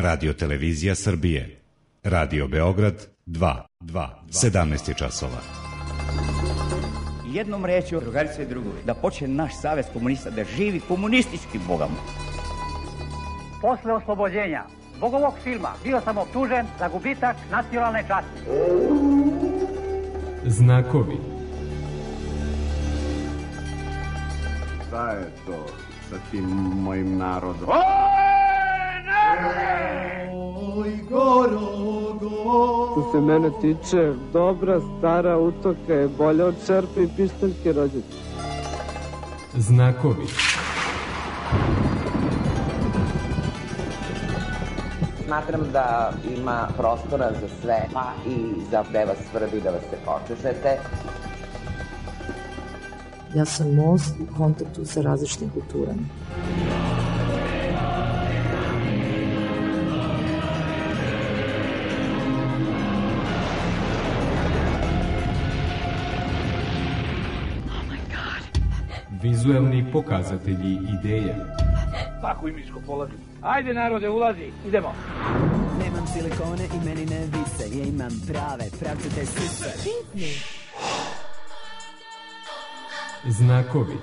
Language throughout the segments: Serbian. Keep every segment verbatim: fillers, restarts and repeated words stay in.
Radio Televizija Srbije. Radio Beograd dva, dva, sedamnaest je časova. Jednom rečju, drugarice i drugovi, da počne naš savez komunista da živi komunističkim bogama. Posle oslobođenja zbog ovog filma bio sam optužen za gubitak nacionalne časti. Znakovi. Šta je to sa tim mojim narodom? Oj, goro, goro. Što se mene tiče, dobra stara utoka je bolja od čerpe i pištaljke rođete. Znakovi. Smatram da ima prostora za sve, pa i za gde vas svrbi da vas se počešete. Ja sam most u kontaktu sa različitim kulturama. Vizuelni pokazatelji ideja. Tako i miško polazi. Ajde narode, ulazi, idemo. Nemam silikone i meni ne vise, ja imam prave, pravcete sise. Znakovi.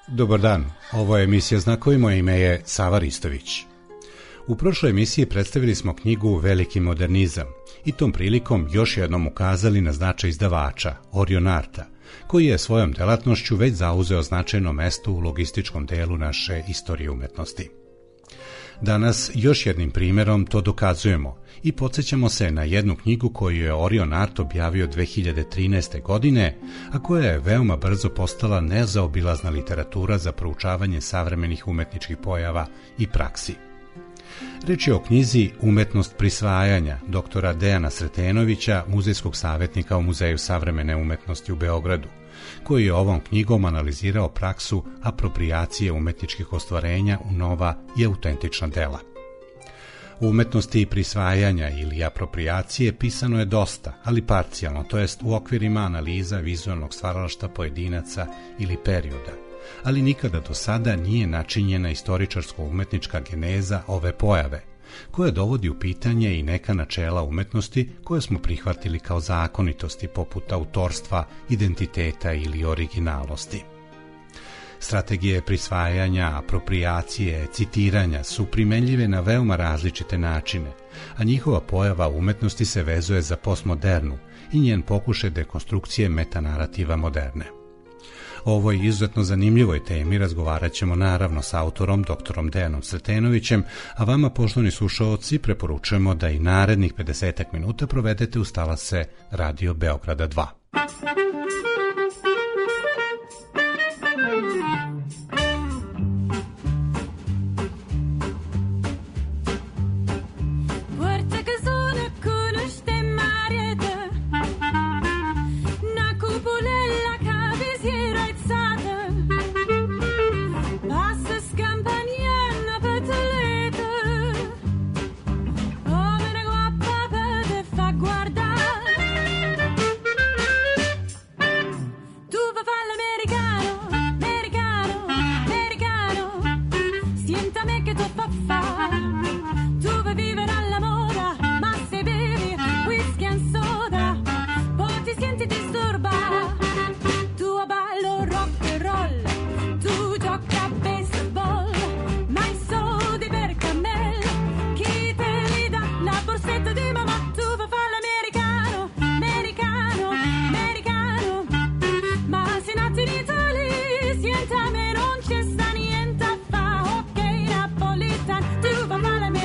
Dobar dan, ovo je emisija Znakovi, moje ime je Sava Ristović. U prošloj emisiji predstavili smo knjigu Veliki modernizam i tom prilikom još jednom ukazali na značaj izdavača, Orion Arta, koji je svojom delatnošću već zauzeo značajno mesto u logističkom delu naše istorije umetnosti. Danas još jednim primjerom to dokazujemo i podsjećamo se na jednu knjigu koju je Orion Art objavio dve hiljade trinaeste. godine, a koja je veoma brzo postala nezaobilazna literatura za proučavanje savremenih umetničkih pojava i praksi. Reč je o knjizi Umetnost prisvajanja doktora Dejana Sretenovića, muzejskog savjetnika u Muzeju savremene umetnosti u Beogradu, koji je ovom knjigom analizirao praksu aproprijacije umetničkih ostvarenja u nova i autentična dela. U umetnosti prisvajanja ili aproprijacije pisano je dosta, ali parcijalno, to jest u okvirima analiza vizualnog stvaralaštva pojedinaca ili perioda, ali nikada do sada nije načinjena istoričarsko-umetnička geneza ove pojave, koja dovodi u pitanje i neka načela umetnosti koje smo prihvatili kao zakonitosti poput autorstva, identiteta ili originalnosti. Strategije prisvajanja, aproprijacije, citiranja su primenljive na veoma različite načine, a njihova pojava umetnosti se vezuje za postmodernu i njen pokušaj dekonstrukcije metanarativa moderne. O ovoj izuzetno zanimljivoj temi razgovarat ćemo naravno s autorom doktorom Dejanom Sretenovićem, a vama, poštovani slušaoci, preporučujemo da i narednih pedesetak minuta provedete uz talase Radio Beograda dva. Sientame, non c'è sta niente a fa, ok, Napolitan, tu va male.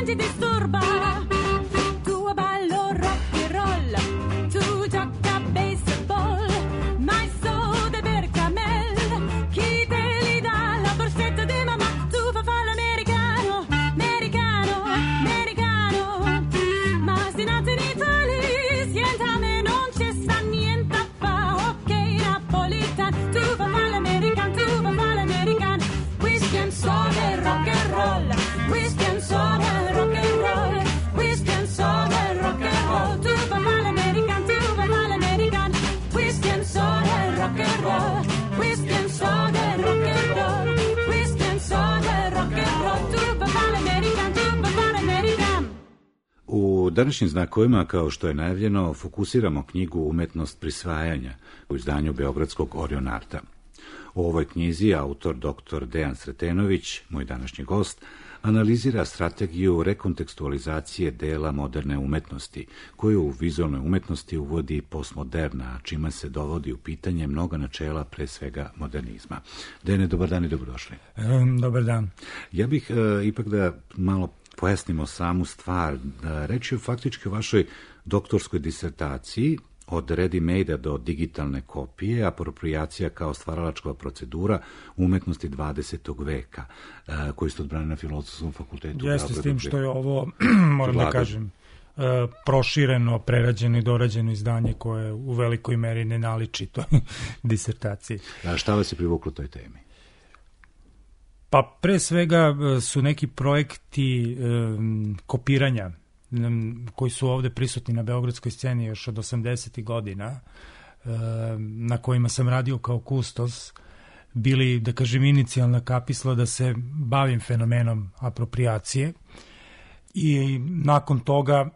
ti disturba. Tu ballo rock and roll, tu gioca baseball, ma i soldi per camel, chi te li dà? La borsetta di mamma, tu fa fallo americano, americano, americano. Ma si nato in Italia, sientame non c'è sta niente a fa, ok napolitan, tu fa fallo americano, tu fa fallo americano. Whisky and soda, rock and roll, whisky and soda, rock and roll, whisky and soda, rock and roll. Tu fa fallo americano, tu fa fallo americano, whisky and soda, rock and roll, whisky and soda, rock and roll, whisky and soda, rock and roll. Tu fa fallo americano, tu fa fallo americano. U današnjim znakovima, kao što je najavljeno, fokusiramo knjigu Umetnost prisvajanja u izdanju Beogradskog Orion Arta. U ovoj knjizi autor doktor Dejan Sretenović, moj današnji gost, analizira strategiju rekontekstualizacije dela moderne umetnosti, koju u vizualnoj umetnosti uvodi postmoderna, čima se dovodi u pitanje mnoga načela, pre svega modernizma. Dejane, dobar dan i dobrodošli. Um, dobar dan. Ja bih uh, ipak da malo pojasnimo samu stvar. Da reći o faktički o vašoj doktorskoj disertaciji, od ready-made-a do digitalne kopije, apropriacija kao stvaralačka procedura umetnosti dvadesetog veka, koji ste odbrani na Filozofskom fakultetu. Jeste, s tim što je ovo, moram da kažem, prošireno, prerađeno i dorađeno izdanje koje u velikoj meri ne naliči toj disertaciji. A šta vas je privuklo toj temi? Pa pre svega su neki projekti um, kopiranja koji su ovde prisutni na beogradskoj sceni još od osamdesetih godina, na kojima sam radio kao kustos, bili, da kažem, inicijalna kapisla da se bavim fenomenom apropriacije i nakon toga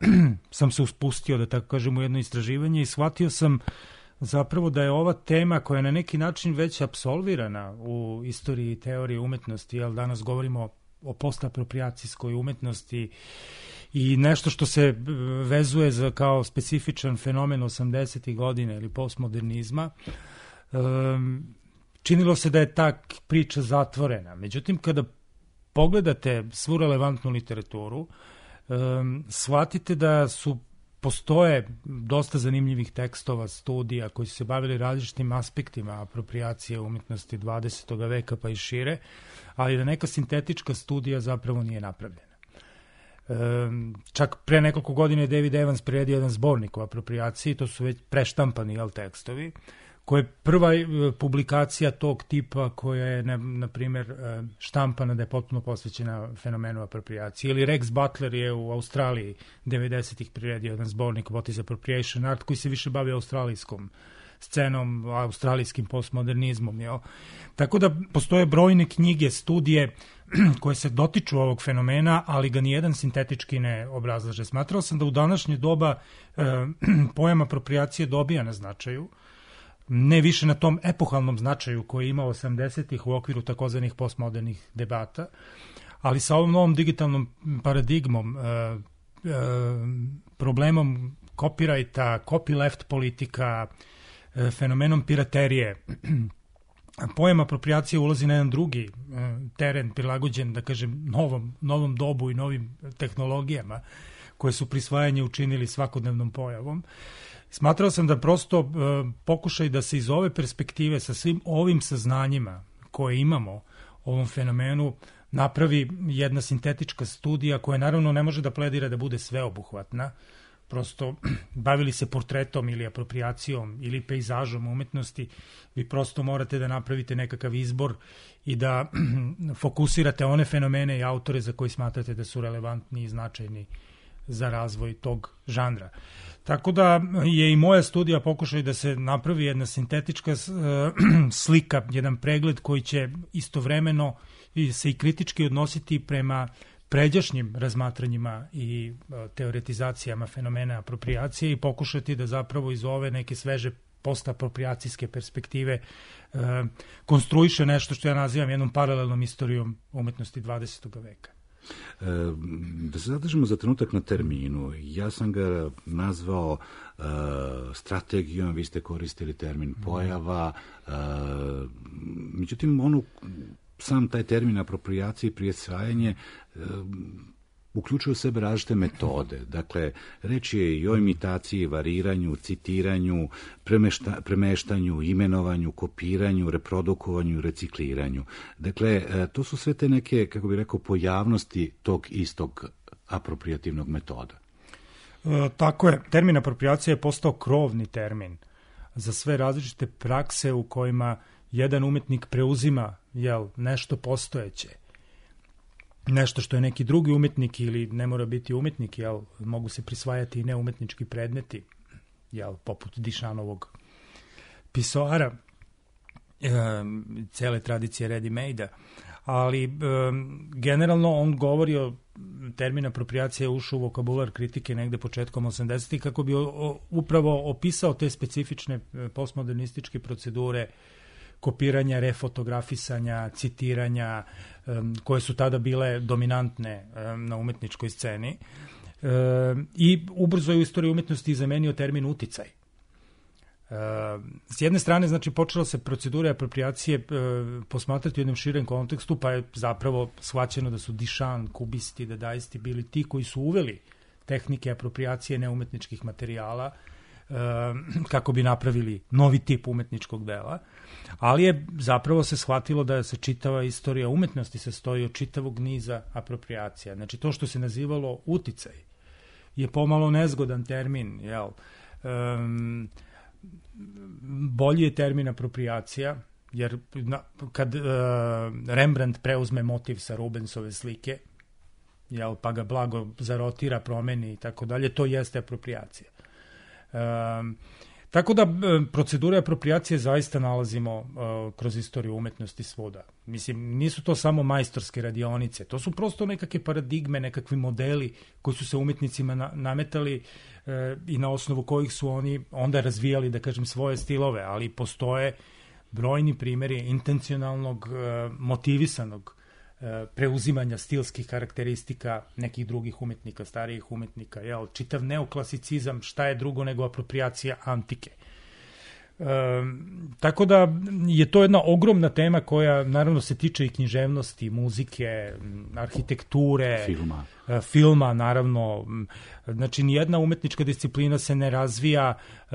sam se uspustio, da tako kažem, u jedno istraživanje i shvatio sam zapravo da je ova tema koja je na neki način već apsolvirana u istoriji i teoriji umetnosti, jer danas govorimo o postapropriacijskoj umetnosti i nešto što se vezuje za kao specifičan fenomen osamdesetih godina ili postmodernizma, činilo se da je ta priča zatvorena. Međutim, kada pogledate svu relevantnu literaturu, shvatite da su postoje dosta zanimljivih tekstova, studija koji su se bavili različitim aspektima apropriacije umetnosti dvadesetog veka pa i šire, ali da neka sintetička studija zapravo nije napravljena. Čak pre nekoliko godina je David Evans priredio jedan zbornik o apropriaciji, to su već preštampani jel, tekstovi, koja je prva publikacija tog tipa koja je, na, na primjer, štampana da je potpuno posvećena fenomenu apropriacije. Ili Rex Butler je u Australiji devedesetih priredio jedan zbornik What is Appropriation Art, koji se više bavi australijskom scenom, australijskim postmodernizmom. Jel? Tako da postoje brojne knjige, studije koje se dotiču ovog fenomena, ali ga nijedan sintetički ne obrazlaže. Smatrao sam da u današnje doba e, pojam apropriacije dobija na značaju, ne više na tom epohalnom značaju koji je imao osamdesetih u okviru takozvanih postmodernih debata, ali sa ovom novom digitalnom paradigmom, e, e, problemom copyrighta, copyleft politika, e, fenomenom piraterije, pojam apropriacije ulazi na jedan drugi e, teren prilagođen, da kažem, novom, novom dobu i novim tehnologijama koje su prisvajanje učinili svakodnevnom pojavom. Smatrao sam da prosto e, pokušaj da se iz ove perspektive sa svim ovim saznanjima koje imamo o ovom fenomenu napravi jedna sintetička studija koja naravno ne može da pledira da bude sveobuhvatna. Prosto bavili se portretom ili apropriacijom ili pejzažom umetnosti, vi prosto morate da napravite nekakav izbor i da fokusirate one fenomene i autore za koji smatrate da su relevantni i značajni za razvoj tog žanra. Tako da je i moja studija pokušaj da se napravi jedna sintetička slika, jedan pregled koji će istovremeno se i kritički odnositi prema pređašnjim razmatranjima i teoretizacijama fenomena apropriacije i pokušati da zapravo iz ove neke sveže postapropriacijske perspektive e, konstruiše nešto što ja nazivam jednom paralelnom istorijom umetnosti dvadesetog veka. E, da se zadržimo za trenutak na terminu. Ja sam ga nazvao e, strategijom, vi ste koristili termin pojava, e, međutim, onu sam taj termin apropriacije i prisvajanje e, uključuju u sebe različite metode. Dakle, reč je i o imitaciji, variranju, citiranju, premešta, premeštanju, imenovanju, kopiranju, reprodukovanju, recikliranju. Dakle, to su sve te neke, kako bih rekao, pojavnosti tog istog aproprijativnog metoda. E, tako je. Termin apropriacija je postao krovni termin za sve različite prakse u kojima jedan umetnik preuzima jel, nešto postojeće, nešto što je neki drugi umetnik ili ne mora biti umetnik, jel, mogu se prisvajati i neumetnički predmeti, jel, poput Dišanovog pisoara, e, cele tradicije ready-made-a, ali e, generalno on govori o termin apropriacija ušao u vokabular kritike negde početkom osamdesetih kako bi o, o, upravo opisao te specifične postmodernističke procedure kopiranja, refotografisanja, citiranja, um, koje su tada bile dominantne um, na umetničkoj sceni. Um, I ubrzo je u istoriji umetnosti zamenio termin uticaj. Um, s jedne strane, znači, počela se procedura apropriacije um, posmatrati u jednom širem kontekstu, pa je zapravo shvaćeno da su Dišan, kubisti, dadaisti bili ti koji su uveli tehnike apropriacije neumetničkih materijala kako bi napravili novi tip umetničkog dela, ali je zapravo se shvatilo da se čitava istorija umetnosti sastoji od čitavog niza apropriacija. Znači, to što se nazivalo uticaj je pomalo nezgodan termin, jel? Um, bolji je termin apropriacija, jer na, kad uh, Rembrandt preuzme motiv sa Rubensove slike, jel, pa ga blago zarotira, promeni i tako dalje, to jeste apropriacija. Um, tako da procedure apropriacije zaista nalazimo uh, kroz istoriju umetnosti svuda. Mislim, nisu to samo majstorske radionice, to su prosto nekakve paradigme, nekakvi modeli koji su se umetnicima na, nametali uh, i na osnovu kojih su oni onda razvijali, da kažem, svoje stilove, ali postoje brojni primjeri intencionalnog, uh, motivisanog preuzimanja stilskih karakteristika nekih drugih umetnika, starijih umetnika, jel, čitav neoklasicizam, šta je drugo nego apropriacija antike. E, tako da je to jedna ogromna tema koja naravno se tiče i književnosti, muzike, arhitekture, filma, e, filma naravno. Znači, nijedna umetnička disciplina se ne razvija e,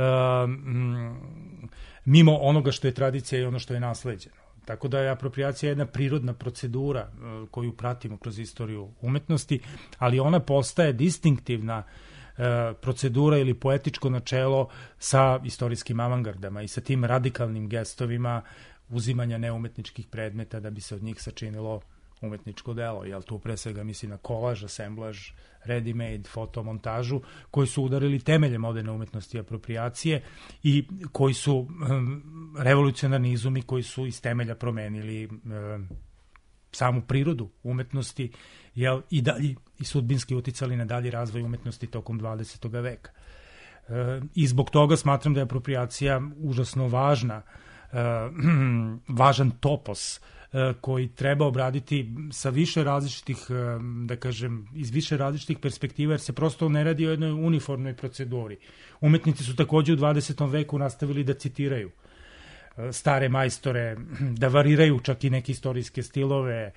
mimo onoga što je tradicija i ono što je nasleđeno. Tako da je apropriacija jedna prirodna procedura uh, koju pratimo kroz istoriju umetnosti, ali ona postaje distinktivna uh, procedura ili poetičko načelo sa istorijskim avangardama i sa tim radikalnim gestovima uzimanja neumetničkih predmeta da bi se od njih sačinilo umetničko delo. Jel, tu pre svega misli na kolaž, asemblaž, ready-made, fotomontažu, koji su udarili temelje moderne umetnosti i apropriacije i koji su um, revolucionarni izumi koji su iz temelja promenili um, samu prirodu umetnosti, jel, i dalje i sudbinski uticali na dalji razvoj umetnosti tokom dvadesetog veka. E, I zbog toga smatram da je apropriacija užasno važna, e, važan topos koji treba obraditi sa više različitih, da kažem, iz više različitih perspektiva, jer se prosto ne radi o jednoj uniformnoj proceduri. Umetnici su takođe u dvadesetom veku nastavili da citiraju stare majstore, da variraju čak i neke istorijske stilove.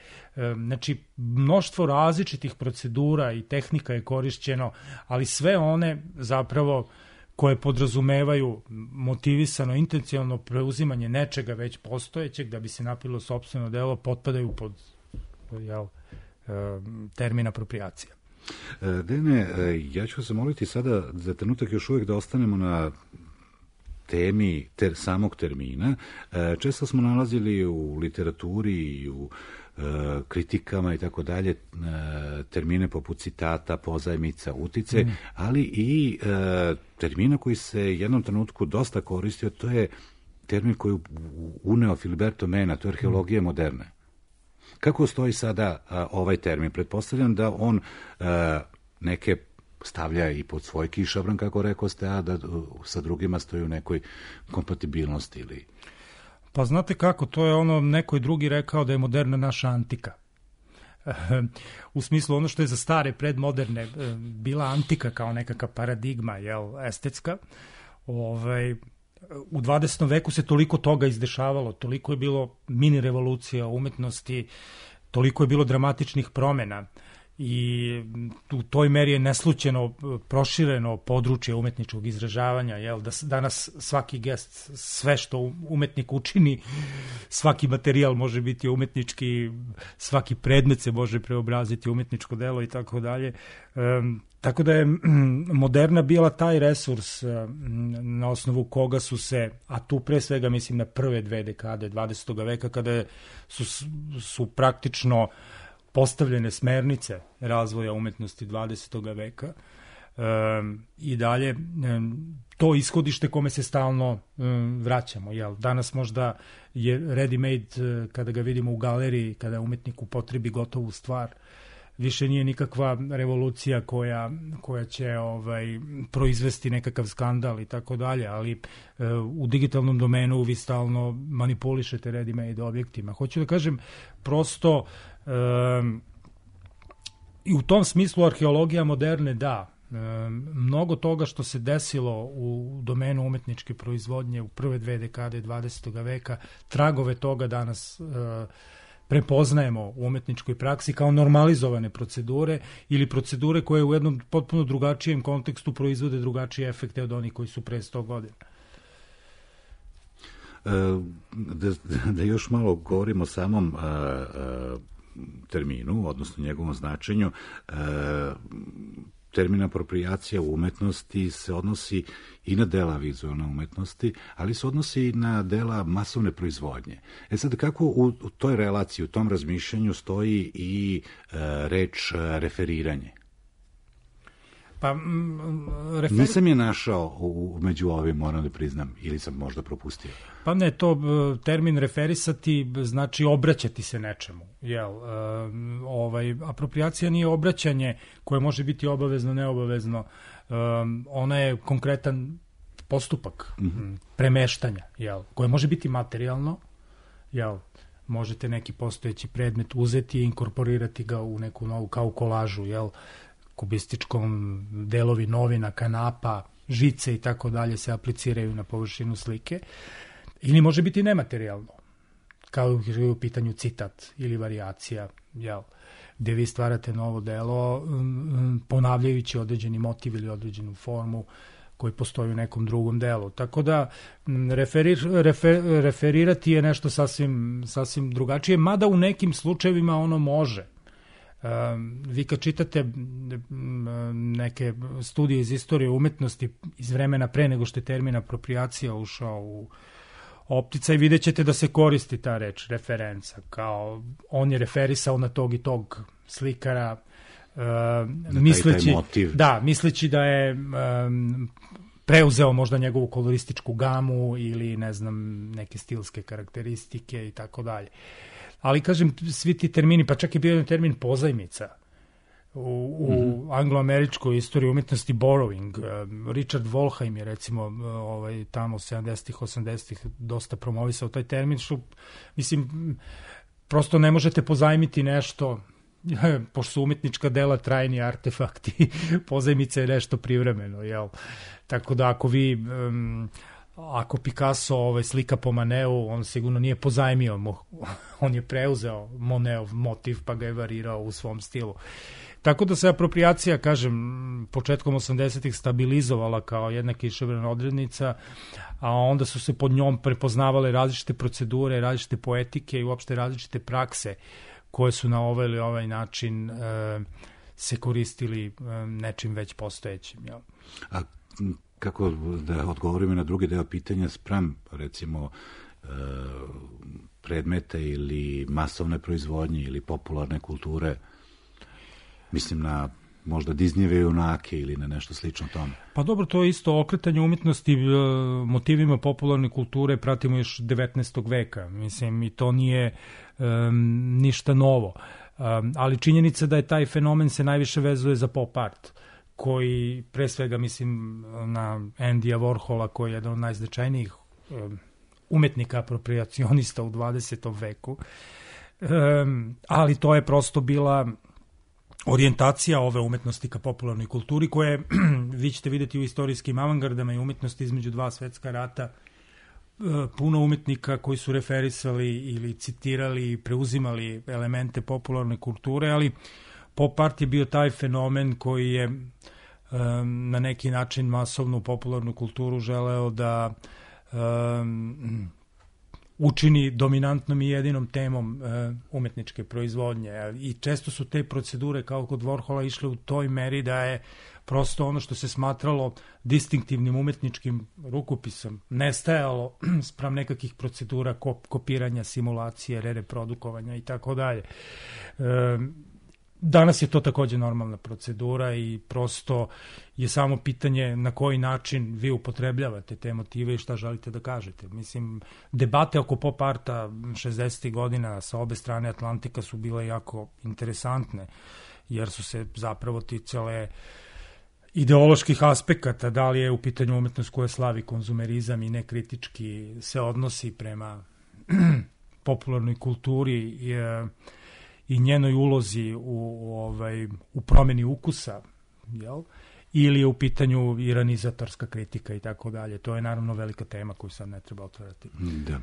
Znači, mnoštvo različitih procedura i tehnika je korišćeno, ali sve one zapravo koje podrazumevaju motivisano, intencionalno preuzimanje nečega već postojećeg da bi se napilo sopstveno delo, potpadaju pod jel, termin apropriacija. Dene, ja ću vas zamoliti sada za trenutak još uvijek da ostanemo na temi ter, samog termina. Često smo nalazili u literaturi i u kritikama i tako dalje termine poput citata, pozajmica, utice, mm. ali i e, termina koji se jednom trenutku dosta koristio, to je termin koji uneo Filiberto Mena, to je arheologija mm. moderne. Kako stoji sada a, ovaj termin? Pretpostavljam da on a, neke stavlja i pod svoj kišobran, kako rekao ste, a da sa drugima stoji u nekoj kompatibilnosti ili... Pa znate kako, to je ono, neko drugi rekao da je moderna naša antika. U smislu ono što je za stare predmoderne bila antika kao nekakva paradigma, jel, estetska. Ovaj, u dvadesetom veku se toliko toga izdešavalo, toliko je bilo mini revolucija umetnosti, toliko je bilo dramatičnih promjena i u toj meri je neslućeno prošireno područje umetničkog izražavanja, jel, da danas svaki gest, sve što umetnik učini, svaki materijal može biti umetnički, svaki predmet se može preobraziti u umetničko delo i tako dalje. Tako da je moderna bila taj resurs na osnovu koga su se, a tu pre svega mislim na prve dve dekade dvadesetog veka, kada su, su praktično postavljene smernice razvoja umetnosti dvadesetog veka um, i dalje um, to ishodište kome se stalno um, vraćamo. Jel? Danas možda je ready-made uh, kada ga vidimo u galeriji, kada umetnik upotrebi gotovu stvar, više nije nikakva revolucija koja, koja će ovaj, proizvesti nekakav skandal i tako dalje, ali uh, u digitalnom domenu vi stalno manipulišete ready-made objektima. Hoću da kažem, prosto Um, i u tom smislu arheologija moderne da, um, mnogo toga što se desilo u domenu umetničke proizvodnje u prve dve dekade dvadesetog veka, tragove toga danas uh, prepoznajemo u umetničkoj praksi kao normalizovane procedure ili procedure koje u jednom potpuno drugačijem kontekstu proizvode drugačije efekte od onih koji su pre sto godina. Da, da još malo govorimo o samom a, a, terminu, odnosno njegovom značenju. E, termin apropriacija u umetnosti se odnosi i na dela vizualne umetnosti, ali se odnosi i na dela masovne proizvodnje. E sad, kako u, u toj relaciji, u tom razmišljanju stoji i e, reč referiranje? Pa, m, referi... Nisam je našao u, među ovim, moram da priznam, ili sam možda propustio. Pa ne, to termin referisati znači obraćati se nečemu. Jel? E, ovaj, apropriacija nije obraćanje koje može biti obavezno, neobavezno. E, ona je konkretan postupak mm-hmm. premeštanja, jel? Koje može biti materijalno, jel? Možete neki postojeći predmet uzeti i inkorporirati ga u neku novu, kao kolažu, jel? Kubističkom delovi novina, kanapa, žice i tako dalje se apliciraju na površinu slike. Ili može biti nematerijalno, kao u pitanju citat ili varijacija, jel, gde vi stvarate novo delo um, ponavljajući određeni motiv ili određenu formu koji postoji u nekom drugom delu. Tako da referir, refer, referirati je nešto sasvim, sasvim drugačije, mada u nekim slučajevima ono može. Um, vi kad čitate um, neke studije iz istorije umetnosti iz vremena pre nego što je termin apropriacija ušao u opticaj, vidjet ćete da se koristi ta reč referenca, kao on je referisao na tog i tog slikara, uh, misleći, da, misleći da je um, preuzeo možda njegovu kolorističku gamu ili ne znam neke stilske karakteristike i tako dalje. Ali kažem, svi ti termini, pa čak je bio jedan termin pozajmica u, u mm-hmm. angloameričkoj istoriji umetnosti borrowing. Richard Wolheim je recimo ovaj, tamo sedamdesetih, osamdesetih dosta promovisao taj termin, što mislim, prosto ne možete pozajmiti nešto, pošto su umetnička dela trajni artefakti, pozajmica je nešto privremeno, jel? Tako da ako vi... Um, ako Picasso ovaj, slika po Maneu, on sigurno nije pozajmio, on je preuzeo Monetov motiv pa ga je varirao u svom stilu. Tako da se apropriacija, kažem, početkom osamdesetih stabilizovala kao jedna kišobrana odrednica, a onda su se pod njom prepoznavale različite procedure, različite poetike i uopšte različite prakse koje su na ovaj ili ovaj način e, se koristili e, nečim već postojećim. Jel? A kako da odgovorimo na drugi deo pitanja spram, recimo, e, predmete ili masovne proizvodnje ili popularne kulture, mislim na možda Disneyve junake ili na nešto slično tome? Pa dobro, to je isto okretanje umjetnosti motivima popularne kulture, pratimo još devetnaestog veka, mislim, i to nije um, ništa novo. Um, ali činjenica da je taj fenomen se najviše vezuje za pop art, koji pre svega mislim na Andyja Warhola, koji je jedan od najznačajnijih um, umetnika apropriacionista u dvadesetom veku. Um, ali to je prosto bila orijentacija ove umetnosti ka popularnoj kulturi, koje vi ćete vidjeti u istorijskim avangardama i umetnosti između dva svetska rata, puno umetnika koji su referisali ili citirali i preuzimali elemente popularne kulture, ali pop art je bio taj fenomen koji je um, na neki način masovnu popularnu kulturu želeo da um, učini dominantnom i jedinom temom uh, umetničke proizvodnje. I često su te procedure kao kod Warhola išle u toj meri da je prosto ono što se smatralo distinktivnim umetničkim rukopisom nestajalo spram nekakvih procedura kop, kopiranja, simulacije, reprodukovanja i tako dalje. Danas je to takođe normalna procedura i prosto je samo pitanje na koji način vi upotrebljavate te motive i šta želite da kažete. Mislim, debate oko pop arta šezdesetih godina sa obe strane Atlantika su bile jako interesantne, jer su se zapravo ticale ideoloških aspekata, da li je u pitanju umetnost koja slavi konzumerizam i nekritički se odnosi prema popularnoj kulturi i, i njenoj ulozi u, u, ovaj, u promeni ukusa, jel? Ili je u pitanju iranizatorska kritika i tako dalje. To je naravno velika tema koju sad ne treba otvarati. Da. E,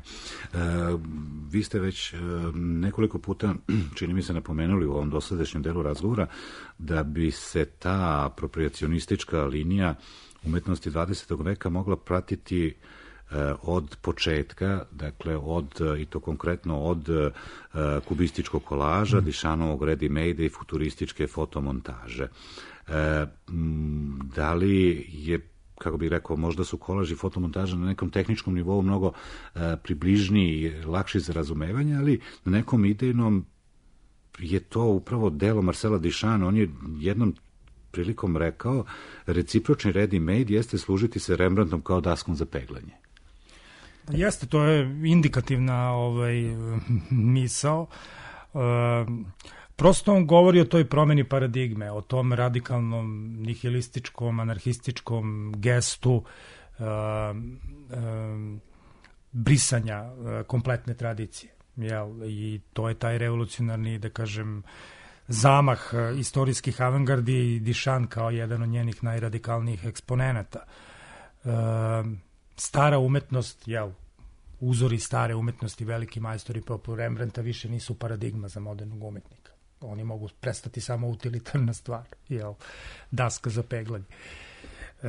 vi ste već e, nekoliko puta, čini mi se, napomenuli u ovom dosadašnjem delu razgovora da bi se ta apropriacionistička linija umetnosti dvadesetog veka mogla pratiti e, od početka, dakle od, i to konkretno od e, kubističkog kolaža, mm. Dišanovog ready-made i futurističke fotomontaže. E, da li je, kako bih rekao, možda su kolaž i fotomontaža na nekom tehničkom nivou mnogo e, približniji i lakši za razumevanje, ali na nekom idejnom je to upravo delo Marcela Duchampa. On je jednom prilikom rekao, recipročni ready-made jeste služiti se Rembrandtom kao daskom za peglanje. Jeste, to je indikativna ovaj, misao. Uh, prosto on govori o toj promeni paradigme, o tom radikalnom, nihilističkom, anarhističkom gestu uh, uh, brisanja uh, kompletne tradicije. Jel? I to je taj revolucionarni, da kažem, zamah uh, istorijskih avangardi i Duchamp kao jedan od njenih najradikalnijih eksponenata. Uh, stara umetnost, jel, uzori stare umetnosti, veliki majstori poput Rembrandta više nisu paradigma za modernog umetnika. Oni mogu prestati samo utilitarna stvar, jel, daska za peglanje. E,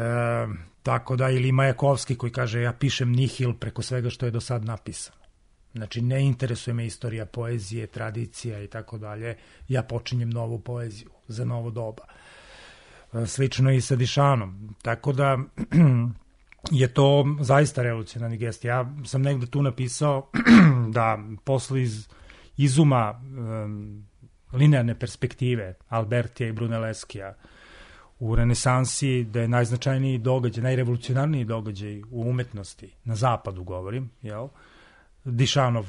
tako da, ili Majakovski koji kaže ja pišem nihil preko svega što je do sad napisano. Znači, ne interesuje me istorija poezije, tradicija i tako dalje. Ja počinjem novu poeziju za novo doba. E, slično i sa Duchampom. Tako da je to zaista revolucionarni gest. Ja sam negde tu napisao da posle iz, izuma um, linearne perspektive Albertija i Brunelleskija u renesansi, da je najznačajniji događaj, najrevolucionarniji događaj u umetnosti, na zapadu govorim, jel? Duchampov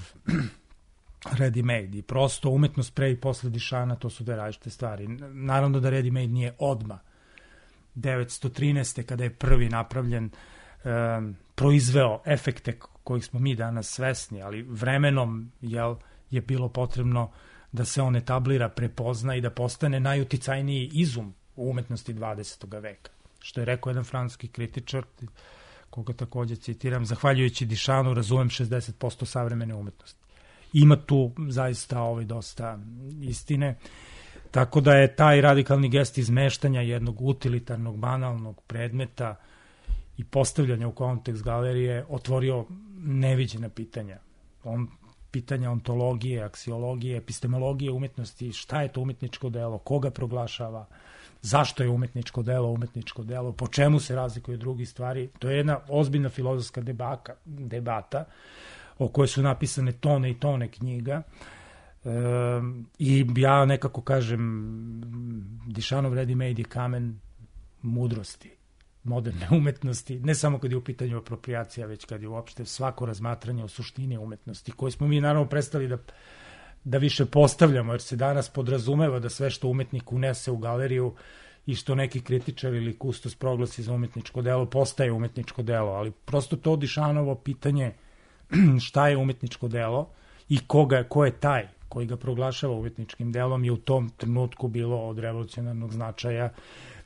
ready-made. I prosto umetnost pre i posle Duchampa, to su dve različite stvari. Naravno da ready-made nije odmah. devetsto trinaeste kada je prvi napravljen, Um, proizveo efekte kojih smo mi danas svesni, ali vremenom jel, je bilo potrebno da se on etablira, prepozna i da postane najuticajniji izum u umetnosti dvadesetog veka. Što je rekao jedan francuski kritičar, koga takođe citiram, zahvaljujući Duchampu razumem šezdeset posto savremene umetnosti. Ima tu zaista ovaj dosta istine, tako da je taj radikalni gest izmeštanja jednog utilitarnog, banalnog predmeta i postavljanja u kontekst galerije otvorio neviđena pitanja. On, pitanja ontologije, aksiologije, epistemologije umetnosti, šta je to umetničko delo, koga proglašava, zašto je umetničko delo umetničko delo, po čemu se razlikuje od drugih stvari. To je jedna ozbiljna filozofska debaka, debata o kojoj su napisane tone i tone knjiga. E, I ja nekako kažem, Duchampov ready-made je kamen mudrosti moderne umetnosti, ne samo kad je u pitanju apropriacija, već kad je uopšte svako razmatranje o suštini umetnosti, koje smo mi naravno prestali da, da više postavljamo, jer se danas podrazumeva da sve što umetnik unese u galeriju i što neki kritičar ili kustos proglasi za umetničko delo, postaje umetničko delo, ali prosto to Duchampovo pitanje šta je umetničko delo i koga, ko je taj koji ga proglašava umetničkim delom je u tom trenutku bilo od revolucionarnog značaja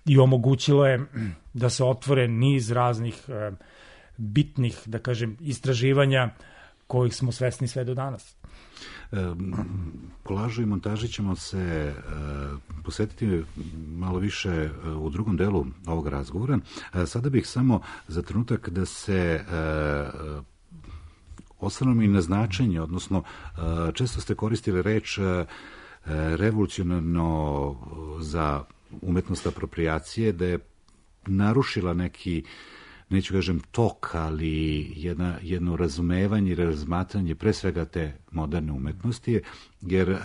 i omogućilo je da se otvore niz raznih e, bitnih, da kažem, istraživanja kojih smo svesni sve do danas. Kolažu i montaži ćemo se posvetiti malo više u drugom delu ovog razgovora. Sada bih samo za trenutak da se osvrnem i na značenje, odnosno često ste koristili reč revolucionarno za umetnost apropriacije, da je narušila neki, neću kažem tok, ali jedna, jedno razumevanje i razmatranje pre svega te moderne umetnosti, jer e,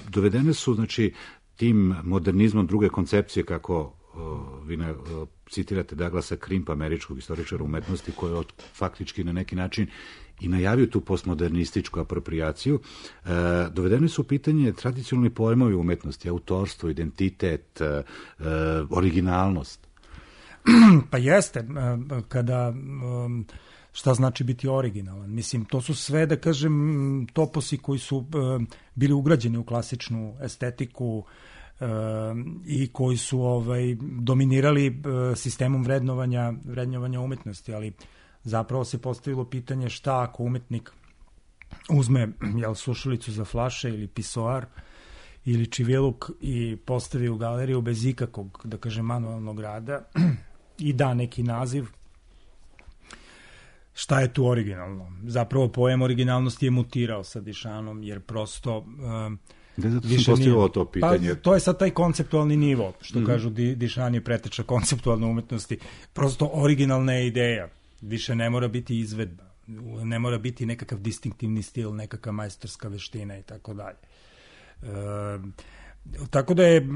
dovedene su, znači, tim modernizmom druge koncepcije, kako o, vi ne, o, citirate Douglasa Crimpa, američkog istoričara umetnosti, koji je faktički na neki način i najavio tu postmodernističku apropriaciju, e, dovedene su u pitanje tradicionalni pojmovi umetnosti, autorstvo, identitet, e, originalnost. Pa jeste, kada, šta znači biti originalan? Mislim, to su sve, da kažem, toposi koji su bili ugrađeni u klasičnu estetiku i koji su ovaj, dominirali sistemom vrednovanja, vrednovanja umetnosti, ali zapravo se postavilo pitanje šta ako umetnik uzme jel, sušilicu za flaše ili pisoar ili čiviluk i postavi u galeriju bez ikakvog, da kažem, manualnog rada i da neki naziv, šta je tu originalno? Zapravo pojem originalnosti je mutirao sa Dišanom, jer prosto um, da, zato sam postavio to pitanje. Pa, to je sad taj konceptualni nivo, što mm-hmm. kažu Di, Dišan je preteča konceptualne umetnosti. Prosto originalna je ideja, više ne mora biti izvedba, ne mora biti nekakav distinktivni stil, nekakva majstorska veština i tako dalje. Um, Tako da je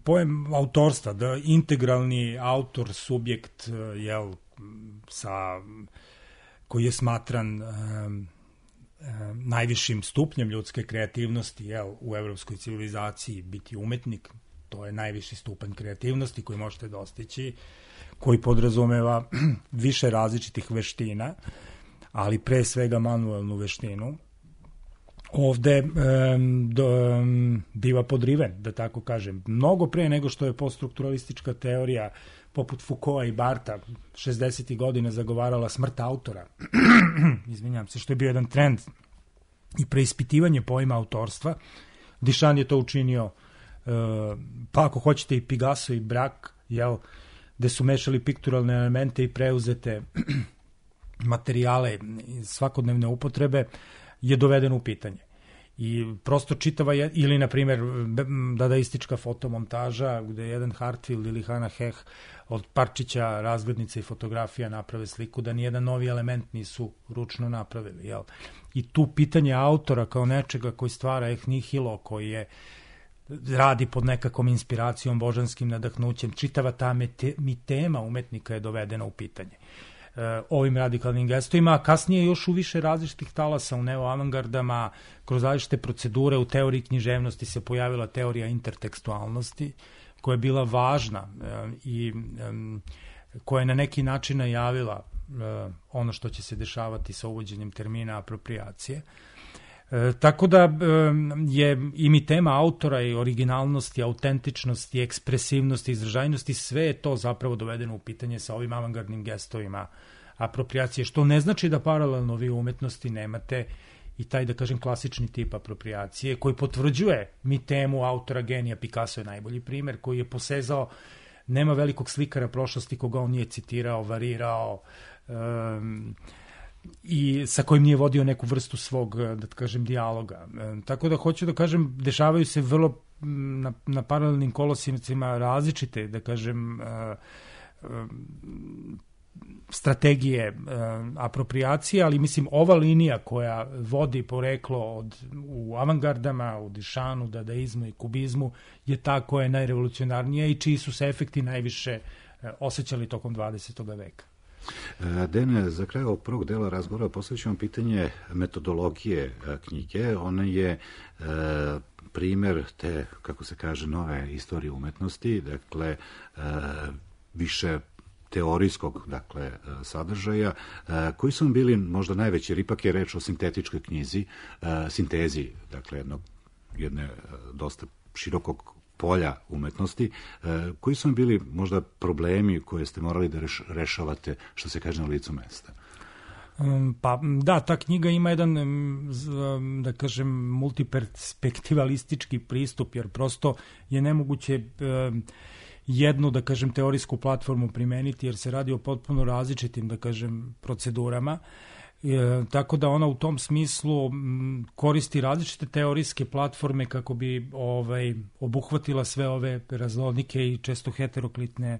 pojem autorstva, da integralni autor, subjekt, jel, sa, koji je smatran um, um, najvišim stupnjem ljudske kreativnosti, jel, u evropskoj civilizaciji, biti umetnik, to je najviši stupanj kreativnosti koji možete dostići, koji podrazumeva više različitih veština, ali pre svega manuelnu veštinu. Ovde um, do, um, biva podriven, da tako kažem, mnogo pre nego što je poststrukturalistička teorija poput Foucaulta i Bartha šezdesetih godina zagovarala smrt autora. Izvinjam se, što je bio jedan trend i preispitivanje pojma autorstva. Dišan je to učinio, uh, pa ako hoćete i Picasso i Braque, jel, gde su mešali pikturalne elemente i preuzete materijale iz svakodnevne upotrebe, je dovedeno u pitanje. I prosto čitava, je, ili na primjer dadaistička fotomontaža gde jedan Hartfield ili Hannah Heh od parčića, razglednica i fotografija naprave sliku, da nijedan novi element nisu ručno napravili. Jel? I tu pitanje autora kao nečega koji stvara eh nihilo, koji je radi pod nekakvom inspiracijom, božanskim nadahnućem, čitava ta mete, mitema umetnika je dovedena u pitanje ovim radikalnim gestovima, a kasnije još u više različitih talasa u neoavangardama, kroz različite procedure u teoriji književnosti se pojavila teorija intertekstualnosti, koja je bila važna i koja je na neki način najavila ono što će se dešavati sa uvođenjem termina apropriacije. E, tako da e, je i mi tema autora i originalnosti, autentičnosti, ekspresivnosti, izražajnosti, sve je to zapravo dovedeno u pitanje sa ovim avangardnim gestovima apropriacije, što ne znači da paralelno vi u umetnosti nemate i taj, da kažem, klasični tip apropriacije koji potvrđuje mi temu autora genija. Picasso je najbolji primer, koji je posezao, nema velikog slikara prošlosti koga on nije citirao, varirao, um, i sa kojim nije vodio neku vrstu svog, da kažem, dijaloga. E, tako da hoću da kažem, dešavaju se vrlo na, na paralelnim kolosicima različite, da kažem, e, e, strategije e, apropriacije, ali mislim ova linija koja vodi poreklo od, u avangardama, u Dišanu, dadaizmu i kubizmu je ta koja je najrevolucionarnija i čiji su se efekti najviše e, osjećali tokom dvadesetog veka. Dene, za kraj ovog prvog dela razgovora postavit ću vam pitanje metodologije knjige. Ona je e, primer te, kako se kaže, nove istorije umetnosti, dakle, e, više teorijskog, dakle, sadržaja, e, koji su bili možda najveći, jer ipak je reč o sintetičkoj knjizi, e, sintezi, dakle, jednog, jedne dosta širokog polja umetnosti, koji su vam bili možda problemi koje ste morali da rešavate, što se kaže, na licu mesta? Pa da, ta knjiga ima jedan, da kažem, multiperspektivalistički pristup, jer prosto je nemoguće jednu, da kažem, teorijsku platformu primeniti, jer se radi o potpuno različitim, da kažem, procedurama. E, tako da ona u tom smislu m, koristi različite teorijske platforme kako bi ovaj, obuhvatila sve ove raznolike i često heteroklitne